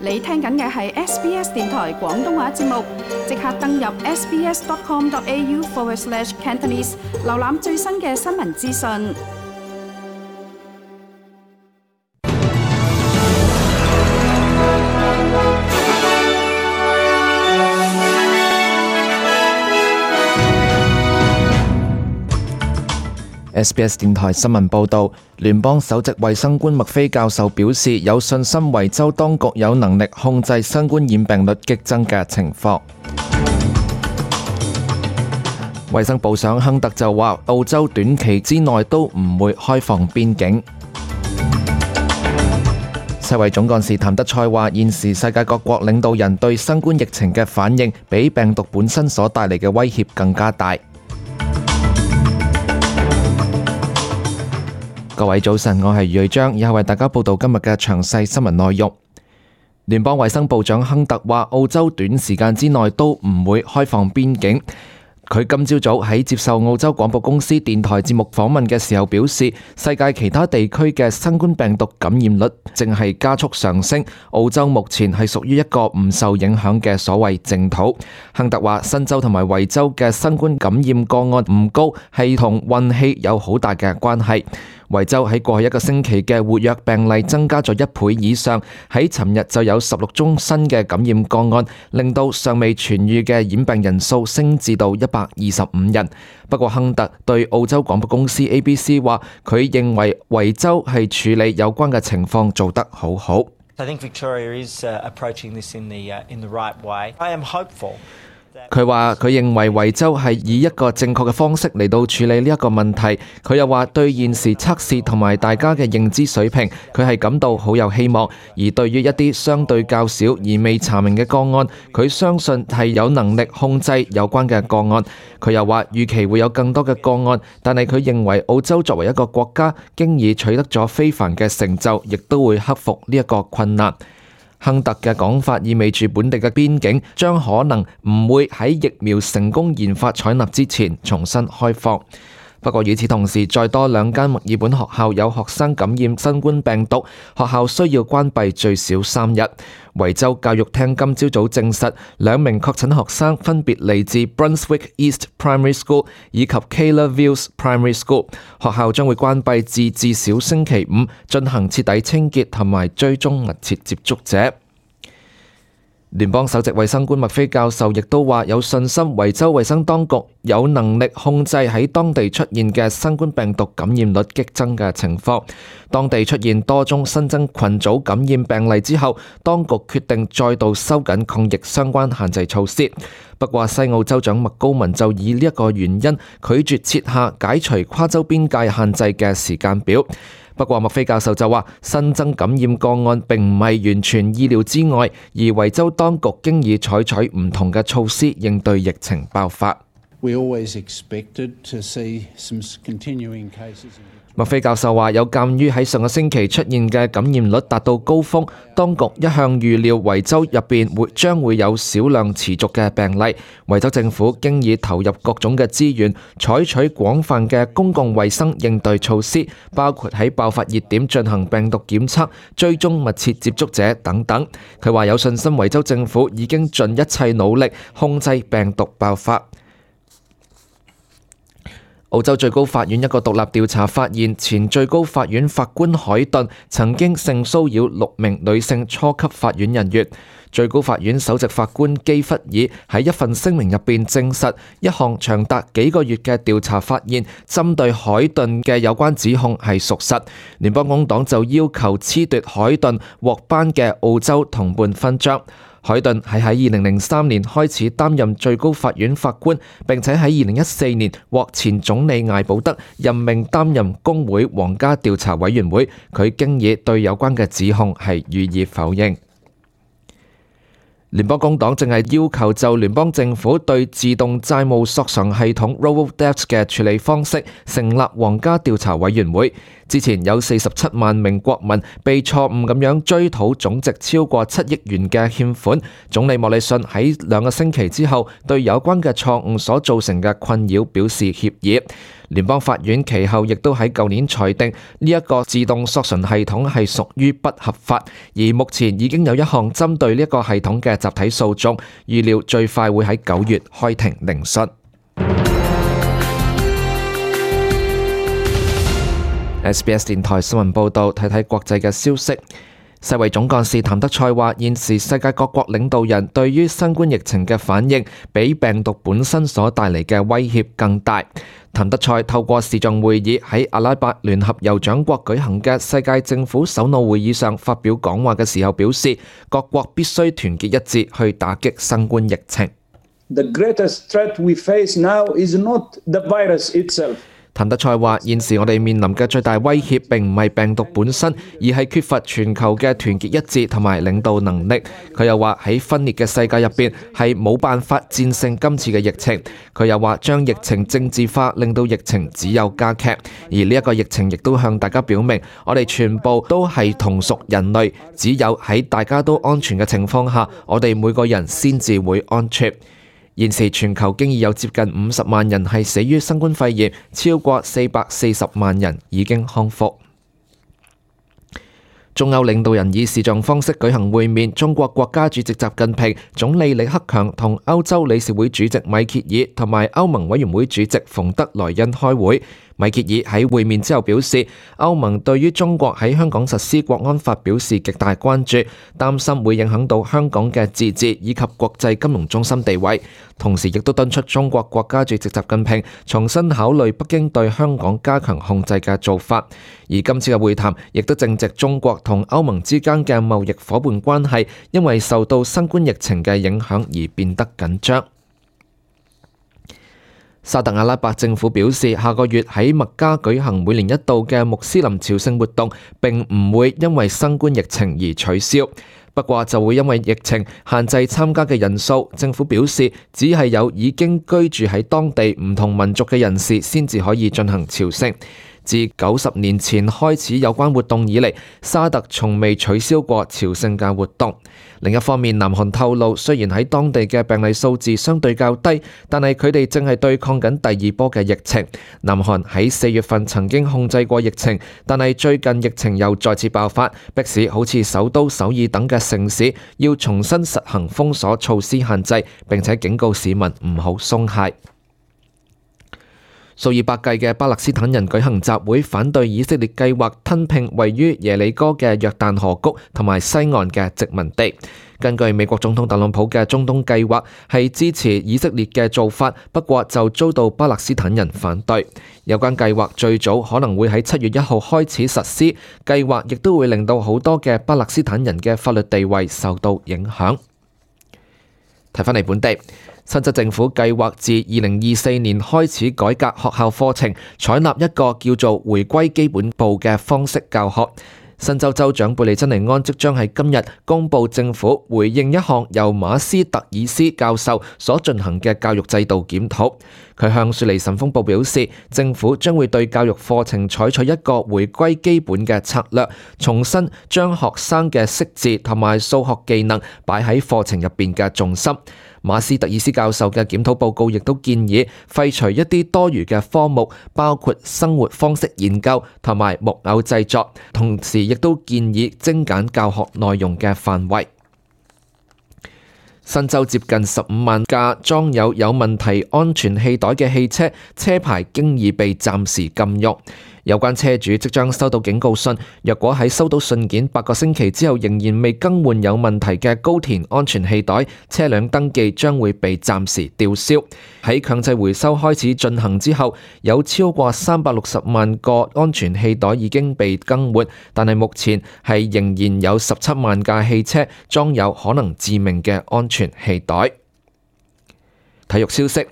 你聽緊嘅係 SBS 電台廣東話節目，即刻登入 sbs.com.au/Cantonese 瀏覽最新嘅新聞資訊。SBS 電台新聞報導，聯邦首席衛生官麥菲教授表示有信心維州當局有能力控制新冠染病率激增嘅情況。衛生部長亨特就話，澳洲短期之內都唔會開放邊境。世衛總幹事譚德塞話，現時世界各國領導人對新冠疫情嘅反應，比病毒本身所帶嚟嘅威脅更加大。各位早晨，我係余瑞章，以下為大家報道今日嘅詳細新聞內容。聯邦衛生部長亨特話，澳洲短時間之內都唔會開放邊境。佢今朝早喺接受澳洲廣播公司電台節目訪問嘅時候表示，世界其他地區嘅新冠病毒感染率正係加速上升，澳洲目前係屬於一個唔受影響嘅所謂淨土。亨特話，新州同埋維州嘅新冠感染個案唔高，係同運氣有好大嘅關係。維州喺過去一個星期嘅活躍病例增加咗1倍以上，喺尋日就有16宗新嘅感染個案，令到尚未痊癒嘅染病人數升至到125人。不過亨特對澳洲廣播公司 ABC 話，佢認為維州係處理有關嘅情況做得好好。I think Victoria is approaching this in the right way. I am hopeful. 佢話佢認為維州係以一個正確嘅方式嚟到處理呢一個問題。佢又話對現時測試同埋大家嘅認知水平，佢係感到好有希望。而對於一啲相對較少而未查明嘅個案，佢相信係有能力控制有關嘅個案。佢又話預期會有更多嘅個案，但係佢認為澳洲作為一個國家，經已取得咗非凡嘅成就，亦都會克服呢一個困難。亨特嘅講法意味住本地嘅邊境將可能唔會喺疫苗成功研發採納之前重新開放。不過與此同時，再多2間墨爾本學校有學生感染新冠病毒，學校需要關閉最少3日。維州教育廳今朝早證實，2名確診學生分別嚟自 Brunswick East Primary School 以及 Keilor Vales Primary School， 學校將會關閉至少星期5，進行徹底清潔同埋追蹤密切接觸者。聯邦首席衛生官麥菲教授亦都話有信心維州衛生當局有能力控制喺當地出現嘅新冠病毒感染率激增嘅情況。當地出現多宗新增群組感染病例之後，當局決定再度收緊抗疫相關限制措施。不過西澳州長麥高文就以呢一個原因拒絕設下解除跨州邊界限制嘅時間表。不過麥菲教授就話，新增感染個案並唔係完全意料之外，而維州當局經已採取唔同嘅措施應對疫情爆發。麥菲教授話，有鑑於喺上個星期出現嘅感染率達到高峰，當局一向預料維州入邊將會有少量持續嘅病例。維州政府經已投入各種嘅資源，採取廣泛嘅公共衛生應對措施，包括喺爆發熱點進行病毒檢測、追蹤密切接觸者等等。佢話有信心維州政府已經盡一切努力控制病毒爆發。澳洲最高法院一個獨立調查發現，前最高法院法官海頓曾經性騷擾6名女性初級法院人員。最高法院首席法官基弗爾喺一份聲明入邊證實，一項長達幾個月嘅調查發現，針對海頓嘅有關指控係屬實。聯邦工黨就要求褫奪海頓獲頒嘅澳洲同伴勳章。海頓係喺2003年開始擔任最高法院法官，並且喺2014年獲前總理艾保德任命擔任工會皇家調查委員會。佢經已對有關嘅指控係予以否認。聯邦工黨正係要求就聯邦政府對自動債務索償系統 Robo-Debt 嘅處理方式成立皇家調查委員會。之前有47萬名國民被錯誤咁樣追討總值超過7億元嘅欠款。總理莫里遜喺2個星期之後對有關嘅錯誤所造成嘅困擾表示歉意。聯邦法院其後亦都喺舊年裁定呢一個自動索償系統係屬於不合法，而目前已經有一項針對呢一個系統嘅集體訴訟，預料最快會喺9月開庭聆訊。SBS 電台新聞報導，睇睇國際嘅消息。世衛總幹事譚德塞話：現時世界各國領導人對於新冠疫情嘅反應，比病毒本身所帶嚟嘅威脅更大。譚德塞透過視像會議喺阿拉伯聯合酋長國舉行嘅世界政府首腦會議上發表講話嘅時候表示，各國必須團結一致去打擊新冠疫情。The greatest threat we face now is not the virus itself. 譚德塞話：現時我哋面臨嘅最大威脅並唔係病毒本身，而係缺乏全球嘅團結一致同埋領導能力。佢又話喺分裂嘅世界入邊係冇辦法戰勝今次嘅疫情。佢又話將疫情政治化，令到疫情只有加劇。而呢一個疫情亦都向大家表明，我哋全部都係同屬人類，只有喺大家都安全嘅情況下，我哋每個人先至會安全。現時全球經已有接近50萬人係死於新冠肺炎，超過440萬人已經康復。中歐領導人以視像方式舉行會面，中國國家主席習近平、總理李克強同歐洲理事會主席米歇爾同埋歐盟委員會主席馮德萊恩開會。米歇爾喺會面之後表示，歐盟對於中國喺香港實施國安法表示極大關注，擔心會影響到香港嘅自治以及國際金融中心地位。同時亦都敦促中國國家主席習近平重新考慮北京對香港加強控制嘅做法。而今次嘅會談亦都正值中國同歐盟之間嘅貿易夥伴關係因為受到新冠疫情嘅影響而變得緊張。沙特阿拉伯政府表示，下個月喺麥加舉行每年一度嘅穆斯林朝聖活動並唔會因為新冠疫情而取消，不過就會因為疫情限制參加嘅人數。政府表示，只係有已經居住喺當地唔同民族嘅人士先至可以進行朝聖。自90年前開始有關活動以嚟，沙特從未取消過朝聖嘅活動。另一方面，南韓透露，雖然喺當地嘅病例數字相對較低，但係佢哋正係對抗緊第二波嘅疫情。南韓喺4月份曾經控制過疫情，但係最近疫情又再次爆發，迫使好似首都首爾等嘅城市要重新實行封鎖措施限制，並且警告市民唔好鬆懈。數以百計嘅巴勒斯坦人舉行集會，反對以色列計劃吞併位於耶利哥嘅約旦河谷同埋西岸嘅殖民地。根據美國總統特朗普嘅中東計劃係支持以色列嘅做法，不過就遭到巴勒斯坦人反對。有關計劃最早可能會喺7月1號開始實施，計劃亦都會令到好多嘅巴勒斯坦人嘅法律地位受到影響。睇返嚟本地，新州政府計劃自2024年開始改革學校課程，採納一個叫做回歸基本步嘅方式教學。新州州長貝利珍尼安即將喺今日公布政府回應一項由馬斯特爾斯教授所進行嘅教育制度檢討。佢向雪梨晨鋒報表示，政府將會對教育課程採取一個回歸基本嘅策略，重新將學生嘅識字同埋數學技能擺喺課程入邊嘅重心。馬斯特爾斯教授嘅檢討報告亦都建議廢除一啲多餘嘅科目，包括生活方式研究同埋木偶製作，同時亦都建議精簡教學內容嘅範圍。新州接近15萬架裝有問題安全氣袋嘅汽車，車牌經已被暫時禁用。有關車主即將收到警告信，若果喺收到信件8個星期之後仍然未更換有問題嘅高田安全氣袋，車輛登記將會被暫時吊銷。喺強制回收開始進行之後，有超過360萬個安全氣袋已經被更換，但係目前係仍然有17萬架汽車裝有可能致命嘅安全氣袋。體育消息。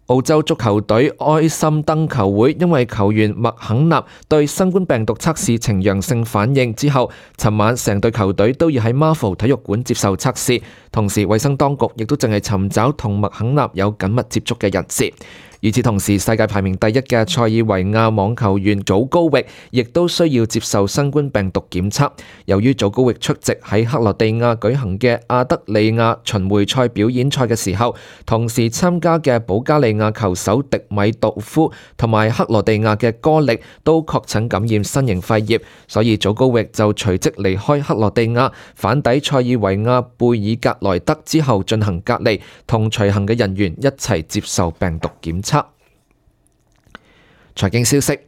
澳洲足球隊埃森登球會因為球員麥肯納對新冠病毒測試呈陽性反應之後，尋晚成隊球隊都要喺 Marvel 體育館接受測試，同時衛生當局亦都淨係尋找同麥肯納有緊密接觸嘅人士。與此同時，世界排名第一嘅塞爾維亞網球員祖高域亦都需要接受新冠病毒檢測。由於祖高域出席喺克羅地亞舉行嘅亞德里亞巡迴賽表演賽嘅時候，同時參加嘅保加利亞球手迪米杜夫同埋克羅地亞嘅哥力都確診感染新型肺炎，所以祖高域就隨即離開克羅地亞，返抵塞爾維亞貝爾格萊德之後進行隔離，同隨行嘅人員一齊接受病毒檢測。財經消息，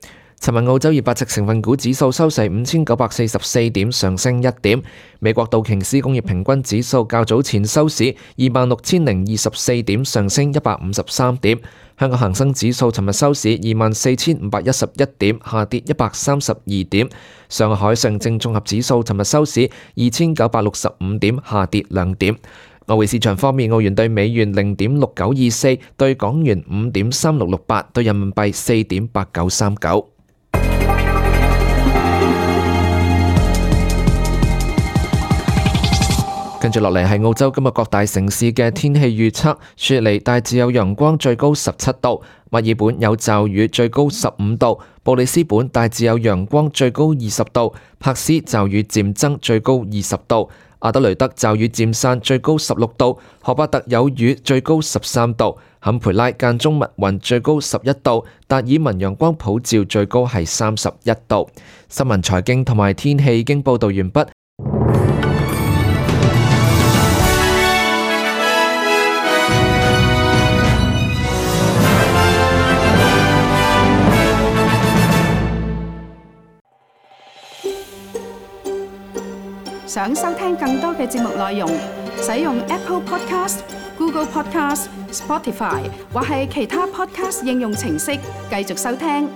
尋日澳洲200隻成分股指數收市5944點，上升1點。美國道瓊斯工業平均指數較早前收市26024點，上升153點。香港恒生指數尋日收市24511點，下跌132點。上海上證綜合指數尋日收市2965點，下跌2點。外匯市場方面，澳元對美元0.6924，對港元5.3668，對人民幣4.8939。跟住落嚟係澳洲今日各大城市嘅天氣預測：雪梨大致有陽光，最高17度；墨爾本有驟雨，最高15度；布里斯本大致有陽光，最高20度；柏斯驟雨漸增，最高20度；阿德雷德驟雨漸散，最高16度；荷巴特有雨，最高13度；坎培拉間中密雲，最高11度；達爾文陽光普照，最高係31度。新聞、財經同埋天氣已經報導完畢。想收聽更多嘅節目內容，使用 Apple Podcast、Google Podcast、Spotify 或係其他 Podcast 應用程式繼續收聽。